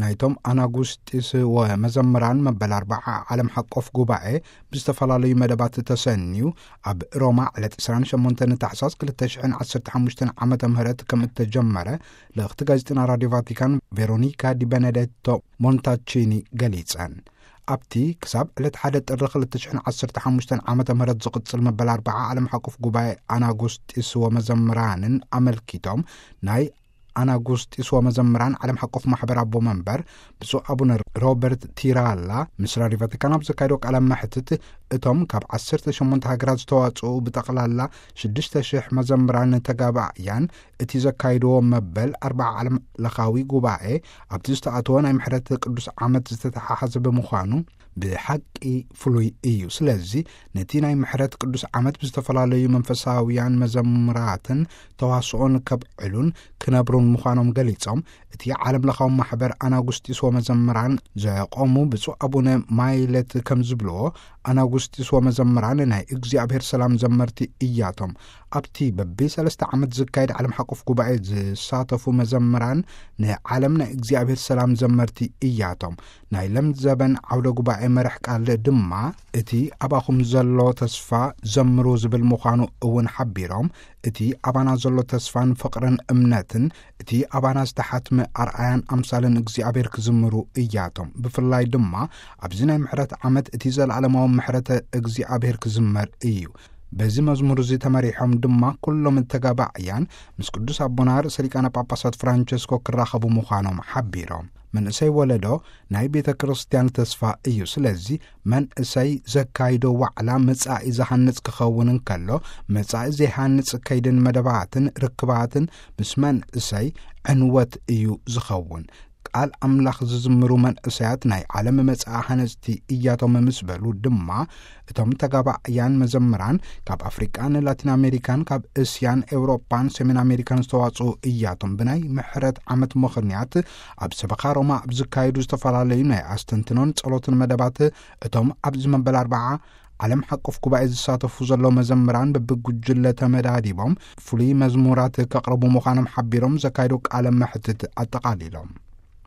ናይቶም ኣናጉስጢስ ወመዘምራን መበል ኣርባዓ ዓለም ሓቆፍ ጉባኤ ብዝተፈላለዩ መደባት ተሰንዩ፣ ኣብ ሮማ ዕለት ዕስራን ሸሞንተን ታሕሳስ ክልተ ሽሕን ዓሰርተ ሓሙሽተን ዓመተ ምህረት ከም እተጀመረ ልእኽቲ ጋዜጠና ራዲዮ ቫቲካን ቬሮኒካ ዲ ቤኔዴቶ ሞንታቺኒ ገሊጸን። ኣብቲ ክሳብ ዕለት ሓደ ጥሪ ክልተ ሽሕን ዓሰርተ ሓሙሽተን ዓመተ ምህረት ዝቕጽል መበል ኣርባዓ ዓለም ሓቆፍ ጉባኤ ኣናጉስጢስ ወመዘምራንን ኣመልኪቶም፣ ናይ ኣናጉስጢስ ወመዘምራን ዓለም ሓቆፍ ማሕበር ኣቦ መንበር ብፁዕ ኣቡነ ሮበርት ቲራላ ምስ ራዲዮ ቫቲካን ኣብ ዘካየዶ ቃለ መሕትት፣ እቶም ካብ ዓሰርተ ሸሞንተ ሃገራት ዝተዋጽኡ ብጠቕላላ ሽዱሽተ ሽሕ መዘምራን ተጋባእያን እቲ ዘካይድዎ መበል ኣርባዓ ዓለም ለኻዊ ጉባኤ ኣብቲ ዝተኣተወ ናይ ምሕረት ቅዱስ ዓመት ዝተተሓሓዘ ብምዃኑ ብሓቂ ፍሉይ እዩ። ስለዚ ነቲ ናይ ምሕረት ቅዱስ ዓመት ብዝተፈላለዩ መንፈሳውያን መዘምራትን ተዋስኦን ከብዕሉን ክነብሩን ምዃኖም ገሊጾም፣ እቲ ዓለም ለኻዊ ማሕበር ኣናጉስጢስ ወመዘምራን ዘቆሙ ብፁዕ ኣቡነ ማይለት ከም ዝብልዎ፣ ኣናጉስጢስ ወመዘምራን ናይ እግዚኣብሔር ሰላም ዘመርቲ እያቶም። ኣብቲ በቢ ሰለስተ ዓመት ዝካየድ ዓለም ሓቆፍ ጉባኤ ዝሳተፉ መዘምራን ንዓለም ናይ እግዚኣብሔር ሰላም ዘመርቲ እያቶም። ናይ ለምዘበን ዓውደ ጉባኤ መራሕ ቃል ድማ እቲ ኣባኹም ዘሎ ተስፋ ዘምሩ ዝብል ምዃኑ እውን ሓቢሮም፣ እቲ ኣባና ዘሎ ተስፋን ፍቕርን እምነትን እቲ ኣባና ዝተሓትመ ኣርኣያን ኣምሳልን እግዚኣብሔር ክዝምሩ እያቶም። ብፍላይ ድማ ኣብዚ ናይ ምሕረት ዓመት እቲ ዘለዓለማዊ ምሕረት እግዚኣብሔር ክዝመር እዩ። በዚ መዝሙር እዚ ተመሪሖም ድማ ኩሎም ተጋባዕያን ምስ ቅዱስ ኣቦና ርእሰ ሊቃነ ጳጳሳት ፍራንቸስኮ ክራኸቡ ምዃኖም ሓቢሮም። መንእሰይ ወለዶ ናይ ቤተ ክርስቲያን ተስፋ እዩ። ስለዚ መንእሰይ ዘካይዶ ዋዕላ መጻኢ ዝሃንጽ ክኸውን እንከሎ፣ መጻኢ ዘይሃንጽ ከይድን መደባትን ርክባትን ምስ መንእሰይ ዕንወት እዩ ዝኸውን። ቃል ኣምላኽ ዝዝምሩ መንእሰያት ናይ ዓለም መጻኢ ሃነጽቲ እያቶም ምስ በሉ ድማ፣ እቶም ተጋባእያን መዘምራን ካብ ኣፍሪቃን ላቲን ኣሜሪካን፣ ካብ እስያን ኤውሮጳን ሰሜን ኣሜሪካን ዝተዋጽኡ እያቶም። ብናይ ምሕረት ዓመት ምኽንያት ኣብ ሰበኻ ሮማ ኣብ ዝካየዱ ዝተፈላለዩ ናይ ኣስተንትኖን ጸሎትን መደባት፣ እቶም ኣብዚ መበል ኣርባዓ ዓለም ሓቆፍ ጉባኤ ዝሳተፉ ዘለዉ መዘምራን በብጉጅለ ተመዳዲቦም ፍሉይ መዝሙራት ከቕርቡ ምዃኖም ሓቢሮም ዘካየዱ ቃለ መሕትት ኣጠቓሊሎም።